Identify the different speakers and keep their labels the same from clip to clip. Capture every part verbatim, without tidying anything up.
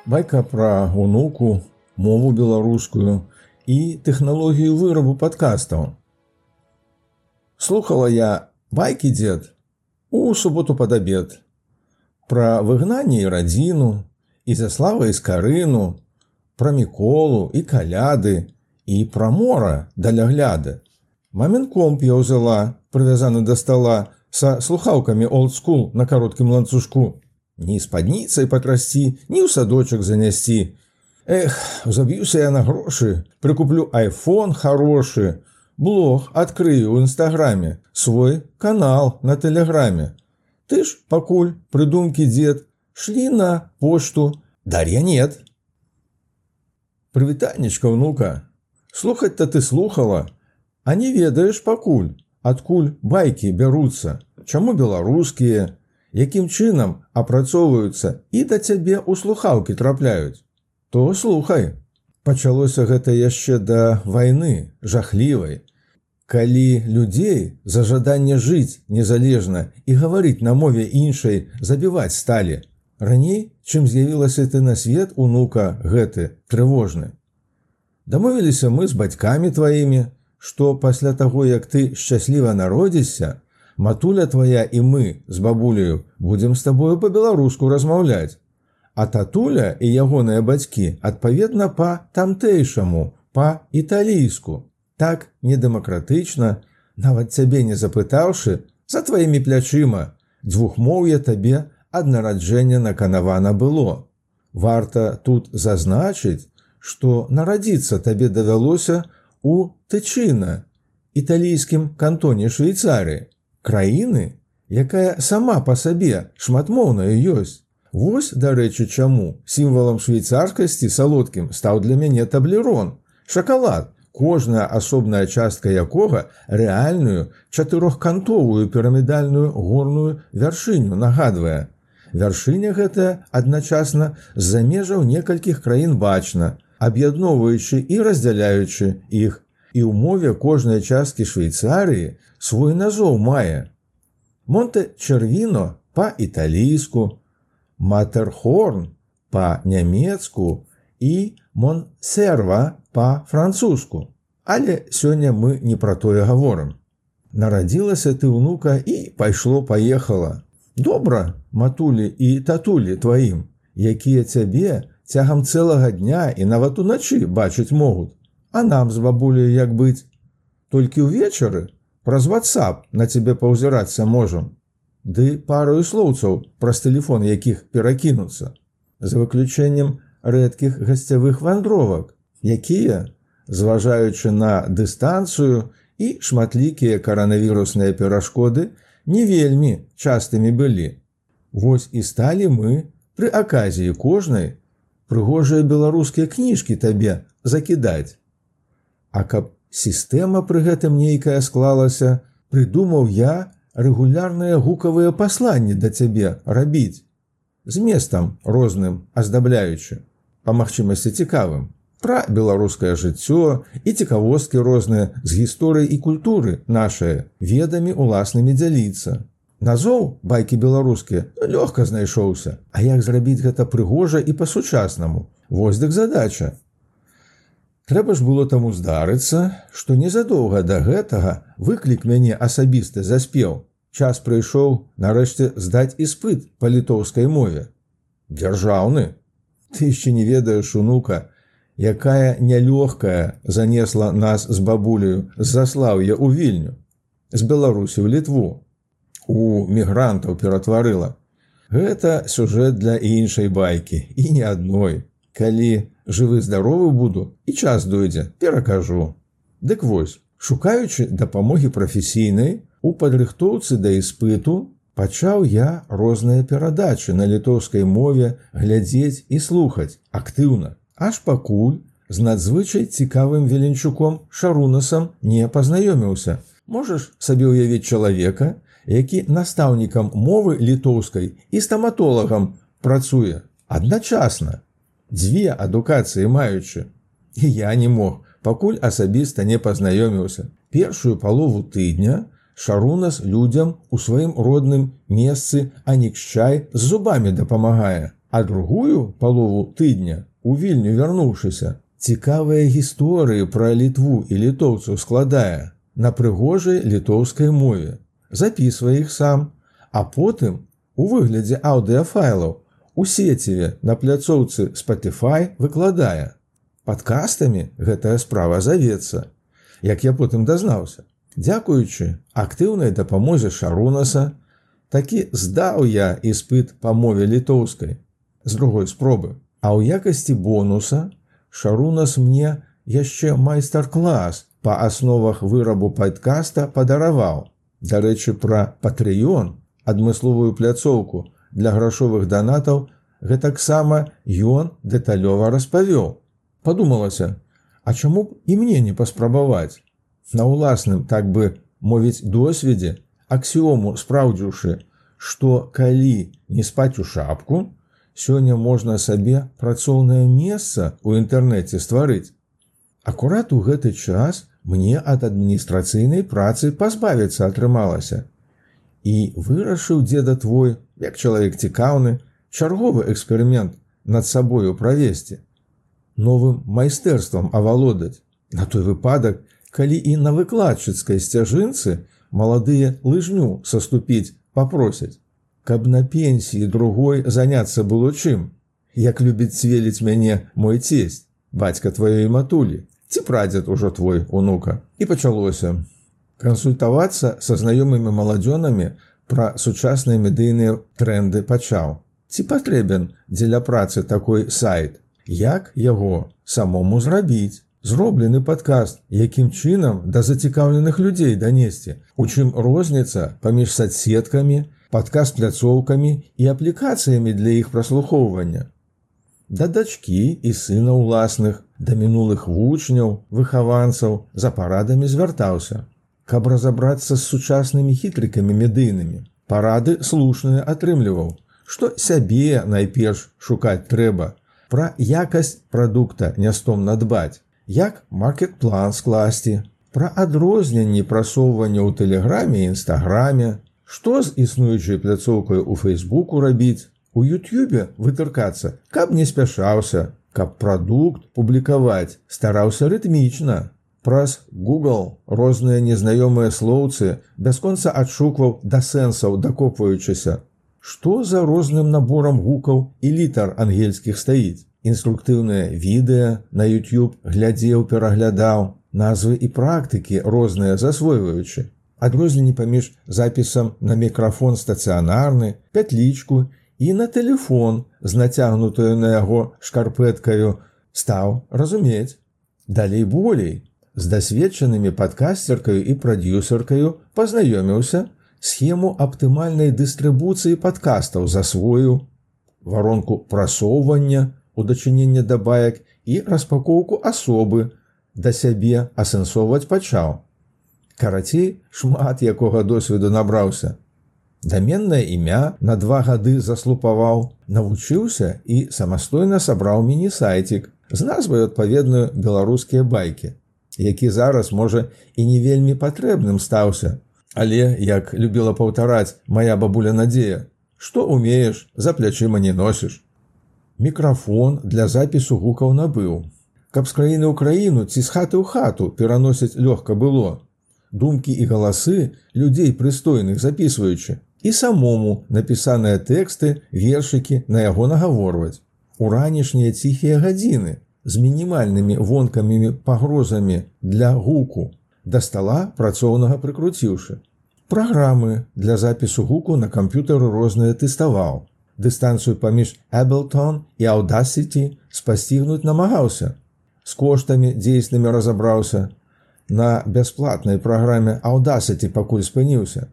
Speaker 1: Байка пра унуку, мову беларускую і тэхналогію вырабу падкастаў. Слухала я байкі, дзед, у суботу пад абед. Пра выгнанне і радзіну, і Заслава і Скарыну, пра Міколу і каляды, і пра мора даля гляды. Мамін комп я ўзяла, прывязаны да стала, са слухаўкамі олдскул на кароткім ланцужку. Ні спадніцай патрасці, ні ў садочак занясці. Эх, заб'юся я на грошы, прыкуплю айфон хорошы, блог адкрыю ў інстаграме, свой канал на тэлеграме. Ты ж пакуль прыдумкі, дзед, шлі на пошту, Дар'я нет. Прывітанечка, ўнука, слухаць-то ты слухала, а не ведаеш пакуль, адкуль байкі бяруцца, чаму беларускія, якім чынам апрацоўваюцца і да цябе ў слухаўкі трапляюць. То слухай. Пачалося гэта яшчэ да вайны, жахлівай, калі людзей за жаданне жыць незалежна і гаварыць на мове іншай забіваць сталі. Раней, чым з'явілася ты на свет, унука гэты, трывожны. Дамовіліся мы з бацькамі тваімі, што пасля таго, як ты шчасліва народзішся, матуля твая і мы з бабуляю будзем з табою па-беларуску размаўляць, а татуля і ягоныя бацькі адпаведна па-тамтэйшаму, па-італійску. Так недэмакратычна, нават цябе не запытаўшы, за тваімі плячыма, дзвюхмоўе табе ад нараджэння наканавана было. Варта тут зазначыць, што нарадзіцца табе давялося у Тычына, італійскім кантоне Швейцарыі, краіны, якая сама па сабе шматмоўная ёсць. Вось, дарэчы, чаму сімвалам швейцарскасці салодкім стаў для мяне таблерон, шакалад, кожная асобная частка якога рэальную чатырохкантовую пірамідальную горную вяршыню нагадвае. Вяршыня гэтая адначасна з-за межаў некалькіх краін бачна, аб'ядноўваючы і раздзяляючы іх, і ў мове кожнай часткі Швейцарыі свой назоў мае. Монте-Червіно па-італійску, Матерхорн па-нямецку і Монсерва па-французску. Але сёння мы не пра тое гаворым. Нарадзілася ты, унука, і пайшло-паехала. Добра, матулі і татулі тваім, якія цябе цягам цэлага дня і нават уначы бачыць могуць. А нам з бабуляй як быць? Толькі ўвечары праз WhatsApp на цябе паўзірацца можам. Ды парою слоўцаў праз тэлефон якіх перакінуцца. За выключэннем рэдкіх гасцявых вандровак, якія, зважаючы на дыстанцыю і шматлікія каранавірусныя перашкоды, не вельмі частымі былі. Вось і сталі мы пры аказіі кожнай прыгожыя беларускія кніжкі табе закідаць. А каб сістэма пры гэтым нейкая склалася, прыдумаў я рэгулярныя гукавыя пасланні да цябе рабіць, зместам розным аздабляючы, па магчымасці цікавым, пра беларускае жыццё і цікавосткі розныя з гісторыі і культуры нашае, ведамі уласнымі дзяліцца. Назоў байкі беларускія лёгка знайшоўся, а як зрабіць гэта прыгожа і па-сучаснаму? Вось дык задача. Трэба ж было таму здарыцца, што незадоўга да гэтага выклік мяне асабіста заспеў. Час прыйшоў нарэшце здаць іспыт па літоўскай мове. Дзяржаўны. Ты яшчэ не ведаеш, унука, якая нялёгкая занесла нас з бабуляю з Заслаўя ў Вільню, з Беларусі ў Літву. У мігрантаў ператварыла. Гэта сюжэт для іншай байкі, і не адной. Калі жывы-здаровы буду і час дойдзе, перакажу. Дык вось, шукаючы дапамогі прафесійнай, у падрыхтоўцы да іспыту пачаў я розныя перадачы на літоўскай мове глядзець і слухаць актыўна, аж пакуль з надзвычай цікавым Веленчуком Шарунасам не пазнаёміўся. Можаш сабе ўявіць чалавека, які настаўнікам мовы літоўскай і стаматолагам працуе адначасна, дзве адукацыі маючы. І я не мог, пакуль асабіста не пазнаёміўся. Першую палову тыдня Шарунас людзям у сваім родным месцы Анікшчай з зубамі дапамагае, А другую палову тыдня у Вільню вярнуўшыся, цікавыя гісторыі пра Літву і літоўцаў складае на прыгожай літоўскай мове, запісвае іх сам, а потым у выглядзе аўдыафайлаў у сеціве на пляцоўцы Spotify выкладае. Падкастамі гэтая справа завецца, як я потым дазнаўся. Дзякуючы актыўнай дапамозе Шарунаса, такі здаў я іспыт па мове літоўскай з другой спробы. А ў якасці бонуса Шарунас мне яшчэ майстар-клас па асновах вырабу падкаста падараваў. Дарэчы, пра Patreon, адмысловую пляцоўку для грашовых данатаў, гэтаксама ён дэталёва распавёў. Падумалася, а чаму б і мне не паспрабаваць? На ўласным, так бы мовіць, досведзе, аксіому спраўдзіўшы, што калі не спаць у шапку, сёння можна сабе працоўнае месца ў інтэрнэце стварыць. Акурат у гэты час мне ад адміністрацыйнай працы пазбавіцца атрымалася. І вырашыў дзеда твой, як чалавек цікаўны, чарговы эксперымент над сабою правесці. Новым майстэрствам авалодаць. На той выпадак, калі і на выкладчыцкай сцяжынцы маладыя лыжню саступіць папросяць, каб на пенсіі другой заняцца было чым, як любіць цвеліць мяне мой цесть, бацька тваёй матулі, ці прадзед ужо твой, унука. І пачалося. Кансультавацца са знаёмымі маладзёнамі пра сучасныя медыйныя трэнды пачаў. Ці патрэбен дзеля працы такой сайт? Як яго самому зрабіць? Зроблены падкаст, якім чынам да зацікаўленых людзей данесці, у чым розніца паміж садсеткамі, падкаст-пляцоўкамі і аплікацыямі для іх праслухоўвання. Да дачкі і сына ўласных, да мінулых вучняў, выхаванцаў за парадамі звяртаўся, каб разабрацца з сучаснымі хітрыкамі медыйнымі. Парады слушныя атрымліваў, што сябе найперш шукаць трэба, пра якасць прадукта не стомна дбаць, як маркет-план скласці, пра адрозненні прасоўвання ў тэлеграме і інстаграме, што з існуючай пляцоўкай у Фейсбуку рабіць, у Ютьюбе вытыркацца, каб не спяшаўся, каб прадукт публікаваць стараўся рытмічна. Праз Google розныя незнаёмыя слоўцы бясконца адшукваў да сэнсаў дакопваючыся. Што за розным наборам гукаў і літар ангельскіх стаіць? Інструктыўнае відэа на YouTube глядзеў, пераглядаў, назвы і практыкі розныя засвойваючы. Адрозненні паміж запісам на мікрафон стацыянарны, пятлічку і на тэлефон з нацягнутаю на яго шкарпэткаю стаў разумець. Далей болей, з дасведчанымі падкасцеркаю і прадюсеркаю пазнаёміўся, схему аптымальнай дыстрыбуцыі падкастаў засвоіў, варонку прасоўвання, у дачыненне да баек і распакоўку асобы да сябе асэнсоўваць пачаў. Карацей, шмат якога досведу набраўся. Даменнае імя на два гады заслупаваў, навучыўся і самастойна сабраў міні-сайцік з назвай адпаведную «Беларускія байкі», які зараз, можа, і не вельмі патрэбным стаўся. Але, як любіла паўтараць мая бабуля Надзея, што умееш, за плячыма не носіш. Мікрафон для запісу гукаў набыў. Каб з краіны ў краіну ці з хаты ў хату пераносіць лёгка было. Думкі і галасы людзей прыстойных запісваючы. І самому напісаныя тэксты, вершыкі на яго нагаворваць. У ранішнія ціхія гадзіны з мінімальнымі вонкамімі пагрозамі для гуку да стала працоўнага прыкруціўшы. Праграмы для запісу гуку на камп'ютары розныя тэставаў. Дыстанцыю паміж Ableton і Audacity спасцігнуць намагаўся. З коштамі дзейснымі разабраўся. На бясплатнай праграме Audacity пакуль спыніўся.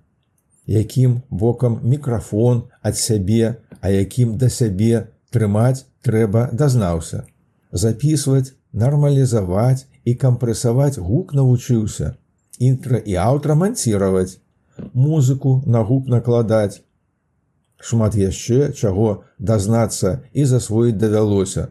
Speaker 1: Якім бокам мікрафон ад сябе, а якім да сябе трымаць трэба дазнаўся. Запісваць, нармалізаваць і кампрэсаваць гук навучыўся. Інтра і аўтра манціраваць. Музыку на гук накладаць. Шмат яшчэ чаго дазнацца і засвоіць давялося.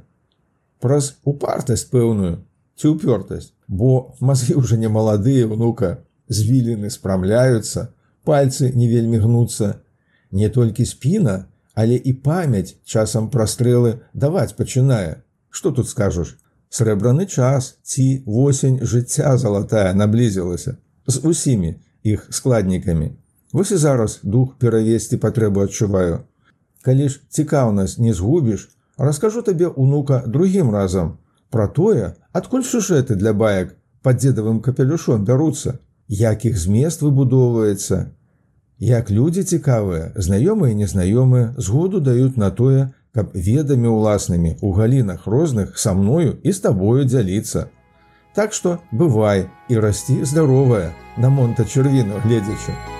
Speaker 1: Праз упартасць пэўную ці ўпёртасць, бо мазгі ўжо не маладыя, внука, звіліны спрамляюцца, пальцы не вельмі гнуцца. Не толькі спіна, Але і памяць часам пра стрэлы даваць пачынае. Што тут скажаш? Срэбраны час ці восень жыцця залатая наблізілася з усімі іх складнікамі. Вось і зараз дух перавесці патрэбу адчуваю. Калі ж цікаўнасць не згубіш, раскажу табе, унука, другім разам пра тое, адкуль сюжэты для баек пад дзедавым капелюшом бяруцца, як іх змест выбудоўваецца, як людзі цікавыя, знаёмыя і незнаёмыя, згоду даюць на тое, каб ведамі ўласнымі ў галінах розных са мною і з табою дзяліцца. Так што бывай і расці здаровая, на Монта-Чэрвіну гледзячы.